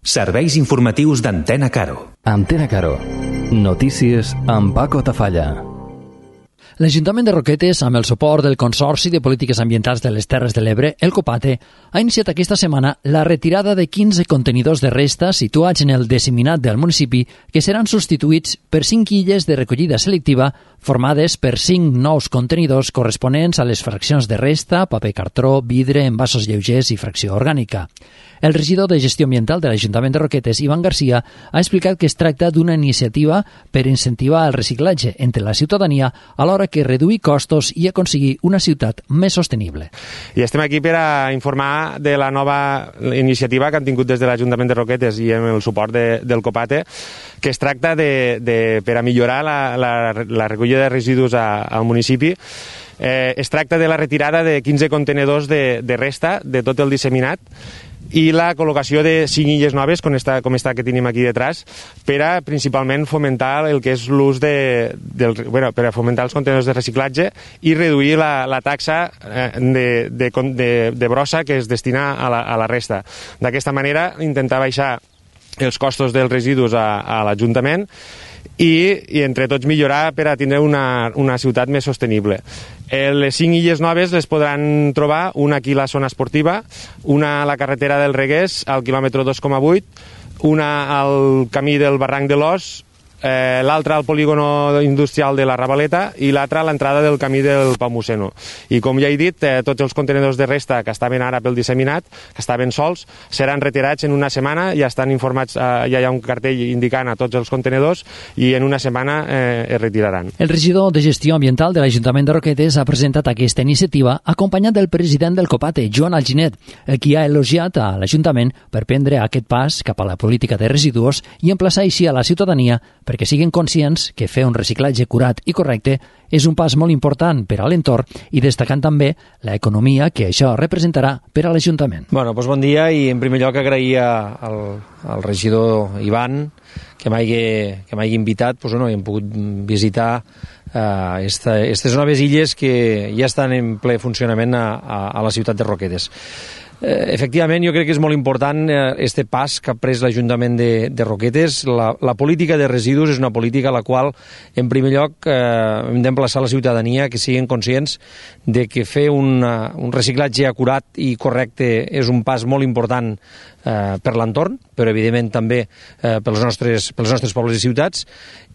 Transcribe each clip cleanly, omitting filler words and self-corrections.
Serveis informatius d'Antena Caro. Antena Caro. Notícies amb Paco Tafalla. L'Ajuntament de Roquetes, amb el suport del Consorci de Polítiques Ambientals de les Terres de l'Ebre, el COPATE, ha iniciat aquesta setmana la retirada de 15 contenidors de resta situats en el disseminat del municipi que seran substituïts per 5 illes de recollida selectiva formades per 5 nous contenidors corresponents a les fraccions de resta, paper cartró, vidre, envasos lleugers i fracció orgànica. El regidor de Gestió Ambiental de l'Ajuntament de Roquetes, Ivan Garcia, ha explicat que es tracta d'una iniciativa per incentivar el reciclatge entre la ciutadania alhora que reduir costos i aconseguir una ciutat més sostenible. I estem aquí per a informar de la nova iniciativa que han tingut des de l'Ajuntament de Roquetes i amb el suport del COPATE, que es tracta per a millorar la recollida de residus al municipi. Es tracta de la retirada de 15 contenedors de resta de tot el disseminat i la col·locació de 5 illes noves, com està que tenim aquí detrás, per a principalment fomentar el que és l'ús per a fomentar els contenidors de reciclatge i reduir la taxa de brossa que es destina a la resta. D'aquesta manera, intentar baixar els costos dels residus a l'Ajuntament i entre tots millorar per a tenir una ciutat més sostenible. Les 5 illes noves les podran trobar, una aquí a la zona esportiva, una a la carretera del Reguers, al quilòmetre 2,8, una al camí del Barranc de l'Os, l'altra al polígono industrial de la Ravaleta i l'altra a l'entrada del camí del Pau Musseno. I com ja he dit, tots els contenidors de resta que estaven ara pel disseminat, que estaven sols, seran retirats en una setmana, ja estan informats, ja hi ha un cartell indicant a tots els contenidors i en una setmana es retiraran. El regidor de Gestió Ambiental de l'Ajuntament de Roquetes ha presentat aquesta iniciativa acompanyat del president del COPATE, Joan Alginet, qui ha elogiat a l'Ajuntament per prendre aquest pas cap a la política de residus i emplaçar així a la ciutadania perquè siguin conscients que fer un reciclatge curat i correcte és un pas molt important per a l'entorn i destacant també l'economia que això representarà per a l'Ajuntament. Bon dia i en primer lloc agrair al regidor Ivan que m'hagi invitat i hem pogut visitar aquestes noves illes que ja estan en ple funcionament a la ciutat de Roquetes. Efectivament, jo crec que és molt important este pas que ha pres l'Ajuntament de Roquetes. La política de residus és una política a la qual, en primer lloc, hem d'emplaçar la ciutadania que siguin conscients de que fer un reciclatge acurat i correcte és un pas molt important per l'entorn, però evidentment també pels nostres pobles i ciutats,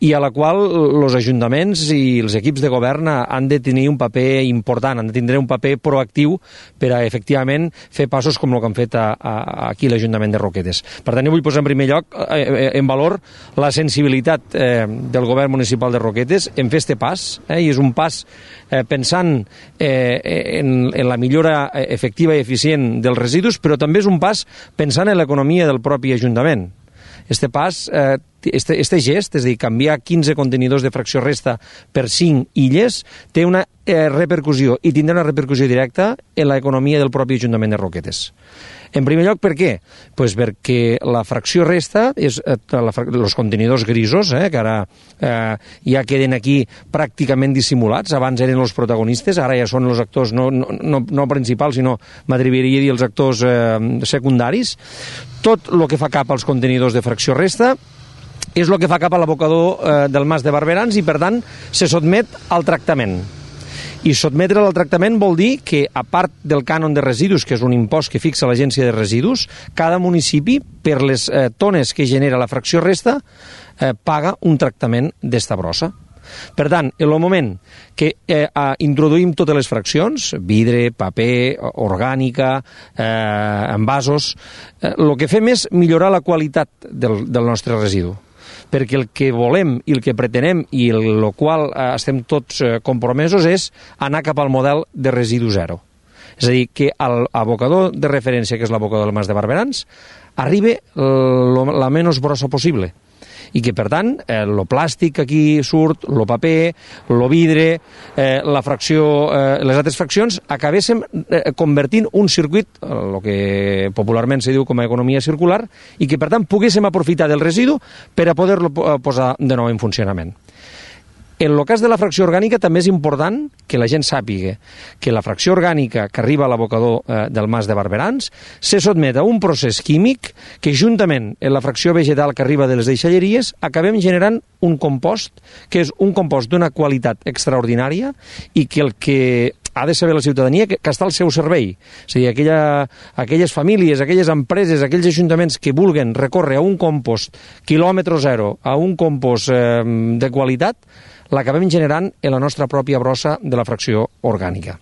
i a la qual els ajuntaments i els equips de govern han de tenir un paper important, han de tindre un paper proactiu per a, efectivament, fer passos com el que han fet aquí l'Ajuntament de Roquetes. Per tant, jo vull posar en primer lloc en valor la sensibilitat del govern municipal de Roquetes en fer este pas, i és un pas pensant en la millora efectiva i eficient dels residus, però també és un pas pensant en l'economia del propi Ajuntament. Este pas, este gest, és a dir, canviar 15 contenidors de fracció resta per 5 illes, té una repercussió i tindrà una repercussió directa en l'economia del propi Ajuntament de Roquetes. En primer lloc, per què? Pues perquè la fracció resta, els contenidors grisos, que ara ja queden aquí pràcticament dissimulats, abans eren els protagonistes, ara ja són els actors no principals, sinó m'atreviria a dir els actors secundaris. Tot el que fa cap als contenidors de fracció resta és el que fa cap a l'abocador del Mas de Barberans i, per tant, se sotmet al tractament. I sotmetre'l al tractament vol dir que, a part del cànon de residus, que és un impost que fixa l'Agència de Residus, cada municipi, per les tones que genera la fracció resta, paga un tractament d'esta brossa. Per tant, en el moment que introduïm totes les fraccions, vidre, paper, orgànica, envasos, el que fem és millorar la qualitat del nostre residu. Perquè el que volem i el que pretenem i el qual estem tots compromesos és anar cap al model de residu zero. És a dir, que l'abocador de referència, que és l'abocador del Mas de Barberans, arribi la menys brossa possible. I que, per tant, el plàstic que aquí surt, el paper, el vidre, la fracció, les altres fraccions, acabéssim convertint un circuit, el que popularment se diu com a economia circular, i que, per tant, poguéssim aprofitar del residu per a poder-lo posar de nou en funcionament. En el cas de la fracció orgànica també és important que la gent sàpiga que la fracció orgànica que arriba a l'abocador del Mas de Barberans se sotmet a un procés químic que juntament amb la fracció vegetal que arriba de les deixalleries acabem generant un compost que és un compost d'una qualitat extraordinària i que el que ha de saber la ciutadania que està al seu servei. És a dir, aquelles famílies, aquelles empreses, aquells ajuntaments que vulguen recórrer a un compost quilòmetre zero, a un compost de qualitat, l'acabem generant en la nostra pròpia brossa de la fracció orgànica.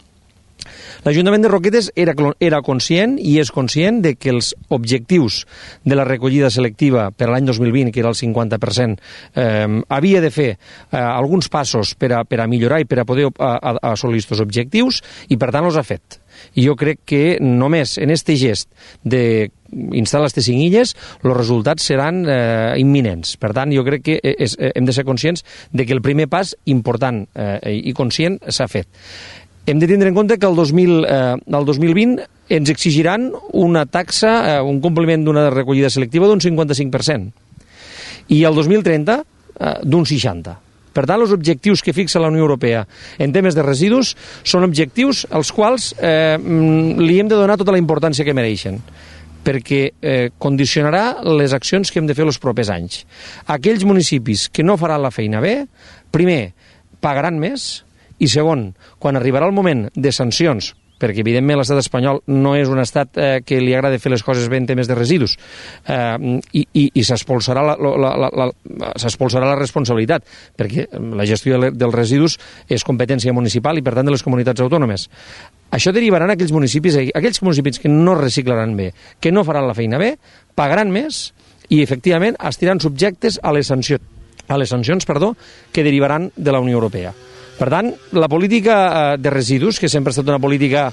L'Ajuntament de Roquetes era conscient i és conscient de que els objectius de la recollida selectiva per a l'any 2020, que era el 50%, havia de fer alguns passos per a millorar i per a poder assolir aquests objectius i, per tant, els ha fet. I jo crec que només en aquest gest d'instal·lar aquestes 5 illes els resultats seran imminents. Per tant, jo crec que hem de ser conscients de que el primer pas important i conscient s'ha fet. Hem de tindre en compte que el 2020 ens exigiran una taxa, un compliment d'una recollida selectiva d'un 55%. I el 2030 d'un 60%. Per tant, els objectius que fixa la Unió Europea en temes de residus són objectius als quals li hem de donar tota la importància que mereixen, perquè condicionarà les accions que hem de fer els propers anys. Aquells municipis que no faran la feina bé, primer, pagaran més, i segon, quan arribarà el moment de sancions, perquè evidentment l'estat espanyol no és un estat que li agrada fer les coses bé en temes de residus, i s'expulsarà la responsabilitat, perquè la gestió dels residus és competència municipal i per tant de les comunitats autònomes. Això derivarà en aquells municipis que no reciclaran bé, que no faran la feina bé, pagaran més i efectivament estiran subjectes a les sancions que derivaran de la Unió Europea. Per tant, la política de residus, que sempre ha estat una política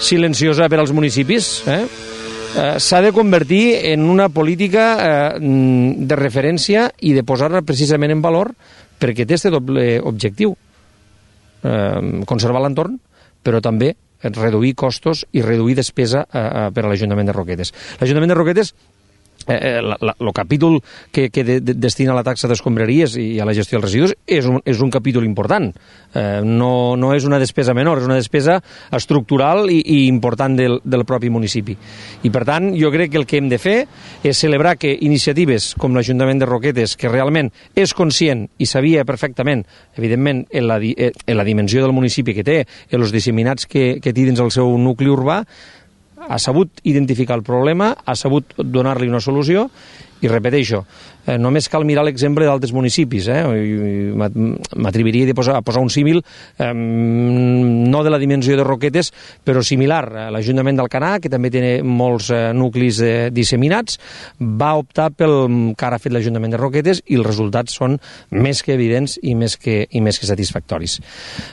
silenciosa per als municipis, s'ha de convertir en una política de referència i de posar-la precisament en valor perquè té aquest doble objectiu, conservar l'entorn, però també reduir costos i reduir despesa per a l'Ajuntament de Roquetes. L'Ajuntament de Roquetes, el capítol que destina a la taxa d'escombraries i a la gestió dels residus és un capítol important. No és una despesa menor, és una despesa estructural i important del propi municipi. I per tant, jo crec que el que hem de fer és celebrar que iniciatives com l'Ajuntament de Roquetes, que realment és conscient i sabia perfectament, evidentment, en la dimensió del municipi que té, en els disseminats que té dins el seu nucli urbà, ha sabut identificar el problema, ha sabut donar-li una solució i repeteixo, només cal mirar l'exemple d'altres municipis. M'atreviria a posar un símil, no de la dimensió de Roquetes, però similar. L'Ajuntament d'Alcanar, que també té molts nuclis disseminats, va optar pel que ara ha fet l'Ajuntament de Roquetes i els resultats són més que evidents i més que satisfactoris.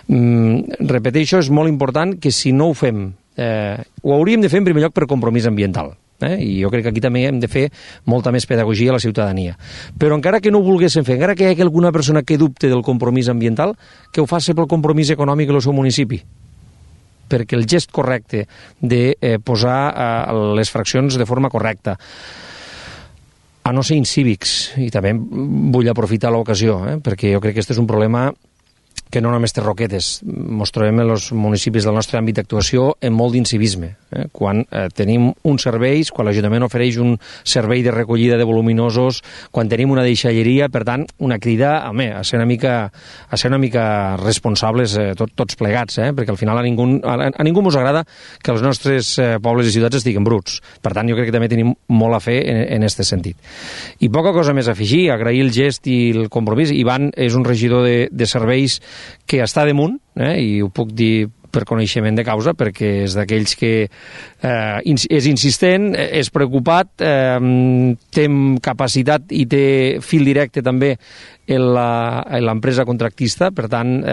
Repeteixo, és molt important que si no ho fem, ho hauríem de fer en primer lloc per compromís ambiental. I jo crec que aquí també hem de fer molta més pedagogia a la ciutadania. Però encara que no ho volguéssim fer, encara que hi hagi alguna persona que dubte del compromís ambiental, que ho faci pel compromís econòmic del seu municipi. Perquè el gest correcte de posar les fraccions de forma correcta, a no ser incívics, i també vull aprofitar l'ocasió, perquè jo crec que aquest és un problema que no només té Roquetes, ens trobem en els municipis del nostre àmbit d'actuació en molt d'incivisme. Quan tenim uns serveis, quan l'Ajuntament ofereix un servei de recollida de voluminosos, quan tenim una deixalleria, per tant, una crida a ser una mica responsables tots plegats, perquè al final a ningú ens agrada que els nostres pobles i ciutats estiguin bruts. Per tant, jo crec que també tenim molt a fer en aquest sentit. I poca cosa més a afegir, agrair el gest i el compromís. Ivan és un regidor de serveis que està damunt, i ho puc dir per coneixement de causa, perquè és d'aquells que és insistent, és preocupat, té capacitat i té fil directe també en l'empresa contractista, per tant,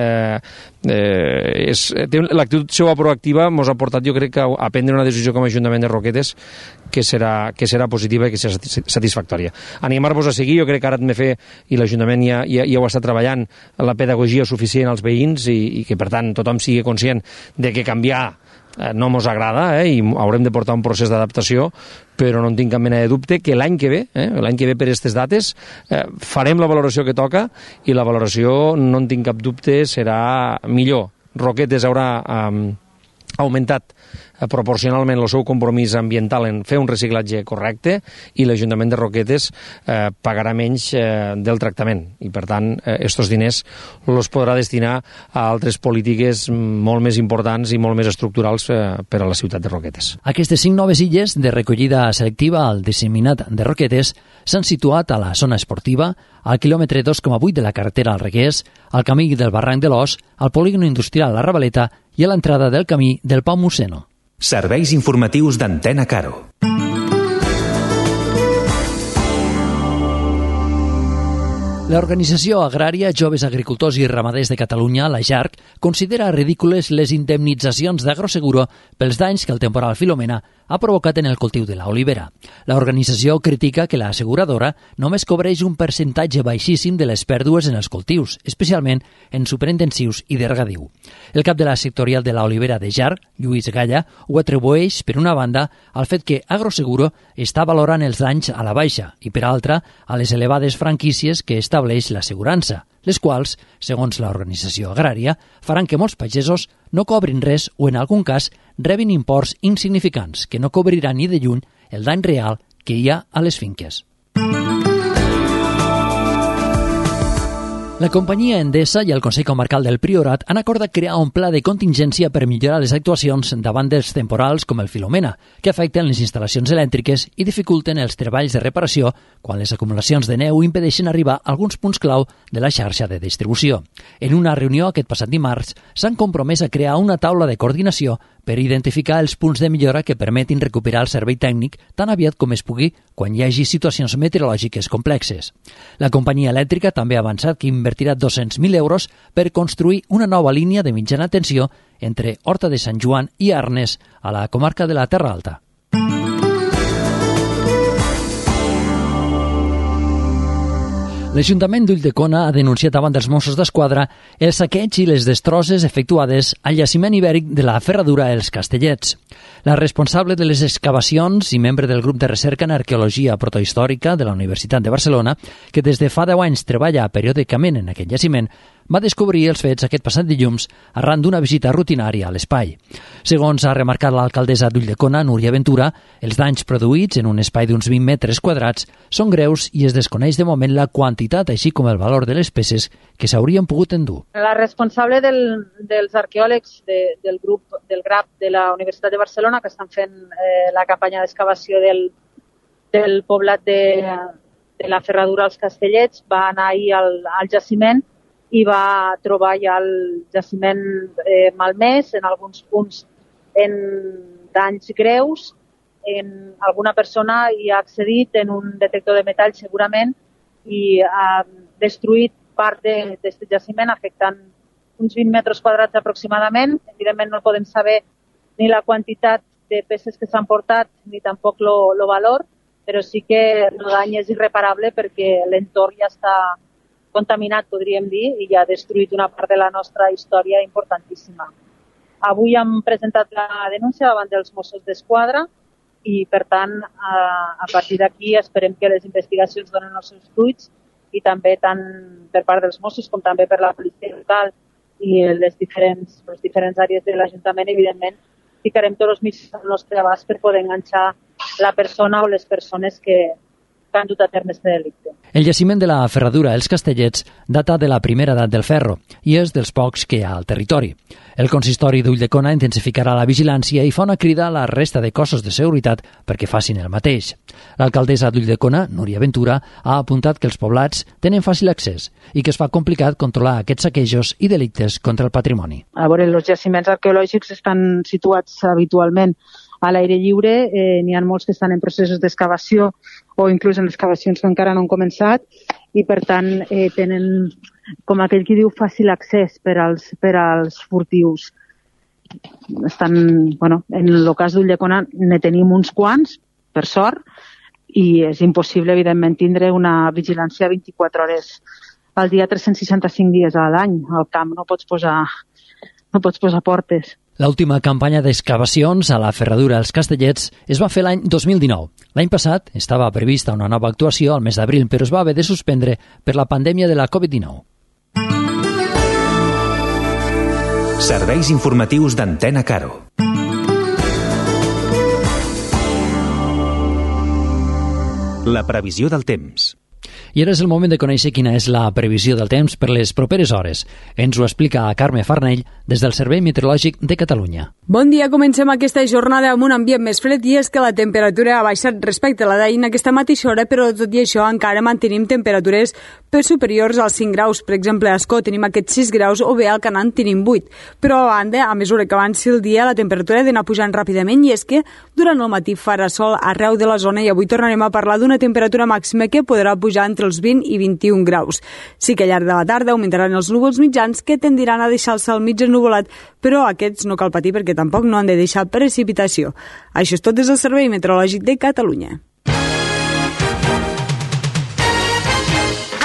l'actitud seva proactiva ens ha portat, jo crec, a prendre una decisió com a Ajuntament de Roquetes que serà positiva i que serà satisfactòria. Animar-vos a seguir, jo crec que ara hem de fer, i l'Ajuntament ja ho està treballant, la pedagogia suficient als veïns i que, per tant, tothom sigui conscient de que canviar no ens agrada i haurem de portar un procés d'adaptació, però no en tinc cap mena de dubte que l'any que ve per aquestes dates, farem la valoració que toca i la valoració, no en tinc cap dubte, serà millor. Roquetes haurà augmentat proporcionalment el seu compromís ambiental en fer un reciclatge correcte i l'Ajuntament de Roquetes pagarà menys del tractament i per tant estos diners els podrà destinar a altres polítiques molt més importants i molt més estructurals per a la ciutat de Roquetes. Aquestes 5 noves illes de recollida selectiva al disseminat de Roquetes s'han situat a la zona esportiva, al quilòmetre 2,8 de la carretera al Reguers, al camí del Barranc de l'Os, al polígon industrial La Ravaleta i a l'entrada del camí del Pau Musseno. Serveis informatius d'Antena Caro. L'Organització Agrària Joves Agricultors i Ramaders de Catalunya, la JARC, considera ridícules les indemnitzacions d'Agroseguro pels danys que el temporal Filomena ha provocat en el cultiu de l'olivera. L'organització critica que l'asseguradora només cobreix un percentatge baixíssim de les pèrdues en els cultius, especialment en superintensius i de regadiu. El cap de la sectorial de l'olivera de JARC, Lluís Galla, ho atribueix, per una banda, al fet que Agroseguro està valorant els danys a la baixa i, per altra, a les elevades franquícies que estableix l'assegurança, les quals, segons l'organització agrària, faran que molts pagesos no cobrin res o, en algun cas, rebin imports insignificants que no cobriran ni de lluny el dany real que hi ha a les finques. La companyia Endesa i el Consell Comarcal del Priorat han acordat crear un pla de contingència per millorar les actuacions davant dels temporals com el Filomena, que afecten les instal·lacions elèctriques i dificulten els treballs de reparació quan les acumulacions de neu impedeixen arribar a alguns punts clau de la xarxa de distribució. En una reunió aquest passat dimarts s'han compromès a crear una taula de coordinació per identificar els punts de millora que permetin recuperar el servei tècnic tan aviat com es pugui quan hi hagi situacions meteorològiques complexes. La companyia elèctrica també ha avançat que invertirà 200.000 euros per construir una nova línia de mitjana tensió entre Horta de Sant Joan i Arnes, a la comarca de la Terra Alta. L'Ajuntament d'Ulldecona ha denunciat davant dels Mossos d'Esquadra el saqueig i les destrosses efectuades al jaciment ibèric de la ferradura Els Castellets. La responsable de les excavacions i membre del grup de recerca en arqueologia protohistòrica de la Universitat de Barcelona, que des de fa 10 anys treballa periòdicament en aquest jaciment, va descobrir els fets aquest passat dilluns arran d'una visita rutinària a l'espai. Segons ha remarcat l'alcaldessa d'Ulldecona, Núria Ventura, els danys produïts en un espai d'uns 20 metres quadrats són greus i es desconeix de moment la quantitat així com el valor de les peces que s'haurien pogut endur. La responsable dels arqueòlegs del grup del GRAP de la Universitat de Barcelona, que estan fent la campanya d'excavació del poblat de la ferradura als Castellets, va anar ahir al jaciment i va trobar ja el jaciment malmès, en alguns punts en danys greus. Alguna persona hi ha accedit en un detector de metall segurament i ha destruït part d'aquest jaciment, afectant uns 20 metres quadrats aproximadament. Evidentment no podem saber ni la quantitat de peces que s'han portat ni tampoc el valor, però sí que el dany és irreparable perquè l'entorn ja està contaminat, podríem dir, i ja ha destruït una part de la nostra història importantíssima. Avui hem presentat la denúncia davant dels Mossos d'Esquadra i, per tant, a partir d'aquí esperem que les investigacions donen els seus fruits i també tant per part dels Mossos com també per la policia local i les diferents àrees de l'Ajuntament, evidentment, ficarem tots els mitjans al nostre abast per poder enganxar la persona o les persones que han dut a terme aquest delicte. El jaciment de la ferradura Els Castellets data de la primera edat del ferro i és dels pocs que hi ha al territori. El consistori d'Ulldecona intensificarà la vigilància i fa una crida a la resta de cossos de seguretat perquè facin el mateix. L'alcaldessa d'Ulldecona, Núria Ventura, ha apuntat que els poblats tenen fàcil accés i que es fa complicat controlar aquests saquejos i delictes contra el patrimoni. A veure, els jaciments arqueològics estan situats habitualment a l'aire lliure, n'hi ha molts que estan en processos d'excavació o inclús en excavacions que encara no han començat i per tant tenen, com aquell qui diu, fàcil accés per als furtius. En el cas d'Ulldecona ne tenim uns quants, per sort, i és impossible, evidentment, tindre una vigilància 24 hores al dia, 365 dies a l'any. Al camp no pots posar portes. L'última campanya d'excavacions a la ferradura Els Castellets es va fer l'any 2019. L'any passat estava prevista una nova actuació al mes d'abril, però es va haver de suspendre per la pandèmia de la Covid-19. Serveis informatius d'Antena Caro. La previsió del temps. I ara és el moment de conèixer quina és la previsió del temps per les properes hores. Ens ho explica Carme Farnell des del Servei Meteorològic de Catalunya. Bon dia, comencem aquesta jornada amb un ambient més fred i és que la temperatura ha baixat respecte a la d'ahir en aquesta mateixa hora, però tot i això encara mantenim temperatures per superiors als 5 graus. Per exemple, a Ascó tenim aquests 6 graus o bé al Canant tenim 8. Però a banda, a mesura que avanci el dia, la temperatura ha d'anar pujant ràpidament i és que durant el matí farà sol arreu de la zona i avui tornarem a parlar d'una temperatura màxima que podrà pujar entre els 20 i 21 graus. Sí que al llarg de la tarda augmentaran els núvols mitjans que tendiran a deixar el cel mig ennuvolat, però aquests no cal patir perquè tampoc no han de deixar precipitació. Això és tot des del Servei Meteorològic de Catalunya.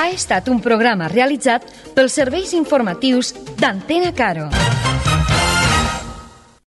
Ha estat un programa realitzat pels serveis informatius d'Antena Caro.